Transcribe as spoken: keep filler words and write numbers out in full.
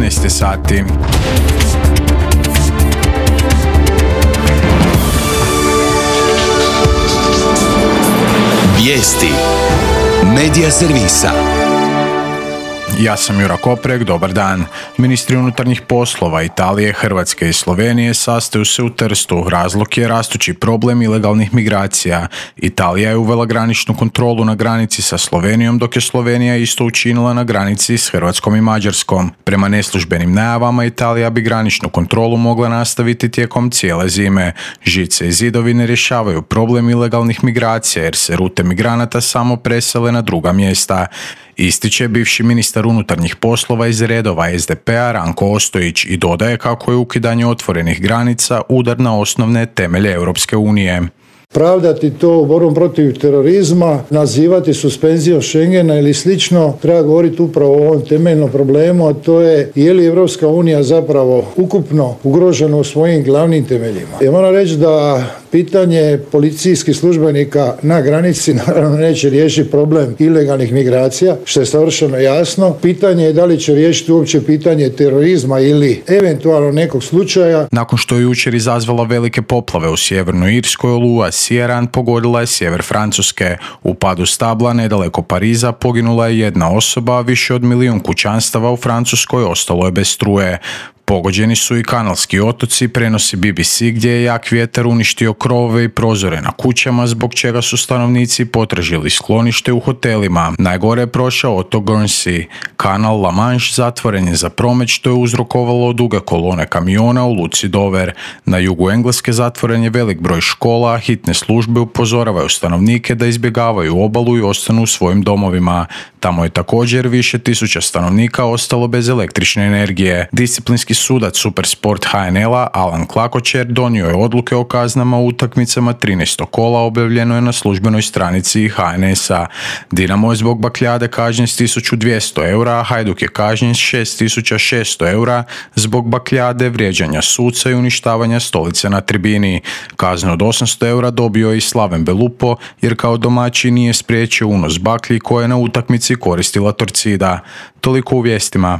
dvanaest sati. Vijesti Medija servisa. Ja sam Jura Koprek, dobar dan. Ministri unutarnjih poslova Italije, Hrvatske i Slovenije sastaju se u Trstu. Razlog je rastući problem ilegalnih migracija. Italija je uvela graničnu kontrolu na granici sa Slovenijom, dok je Slovenija isto učinila na granici s Hrvatskom i Mađarskom. Prema neslužbenim najavama, Italija bi graničnu kontrolu mogla nastaviti tijekom cijele zime. Žice i zidovi ne rješavaju problem ilegalnih migracija jer se rute migranata samo presele na druga mjesta. Ističe bivši ministar unutarnjih poslova iz redova es de pe a Ranko Ostojić i dodaje kako je ukidanje otvorenih granica udar na osnovne temelje Europske unije. Pravdati to borbom protiv terorizma, nazivati suspenzijom Schengena ili slično, treba govoriti upravo o ovom temeljnom problemu, a to je je li Europska unija zapravo ukupno ugrožena u svojim glavnim temeljima. Ja moram reći da pitanje policijskih službenika na granici naravno neće riješiti problem ilegalnih migracija, što je savršeno jasno. Pitanje je da li će riješiti uopće pitanje terorizma ili eventualno nekog slučaja. Nakon što je jučer izazvala velike poplave u sjevernoj Irskoj, oluja Ciaran pogodila je sjever Francuske. U padu stabla nedaleko Pariza poginula je jedna osoba, a više od milijun kućanstava u Francuskoj ostalo je bez struje. Pogođeni su i kanalski otoci, prenosi be be ce, gdje je jak vjetar uništio krovove i prozore na kućama, zbog čega su stanovnici potražili sklonište u hotelima. Najgore je prošao otok Guernsey. Kanal La Manche zatvoren je za promet, što je uzrokovalo duge kolone kamiona u luci Dover. Na jugu Engleske zatvoren je velik broj škola, a hitne službe upozoravaju stanovnike da izbjegavaju obalu i ostanu u svojim domovima. Tamo je također više tisuća stanovnika ostalo bez električne energije. Disciplinski sudac Supersport ha en el-a Alan Klakočer donio je odluke o kaznama u utakmicama trinaestog kola, objavljeno je na službenoj stranici ha en es-a. Dinamo je zbog bakljade kažnjen s tisuću dvjesto eura, a Hajduk je kažnjen s šest tisuća šesto eura zbog bakljade, vrijeđanja suca i uništavanja stolice na tribini. Kaznu od osamsto eura dobio je i Slaven Belupo jer kao domaćin nije spriječio unos baklji koje je na utakmici koristila Torcida. Toliko u vijestima.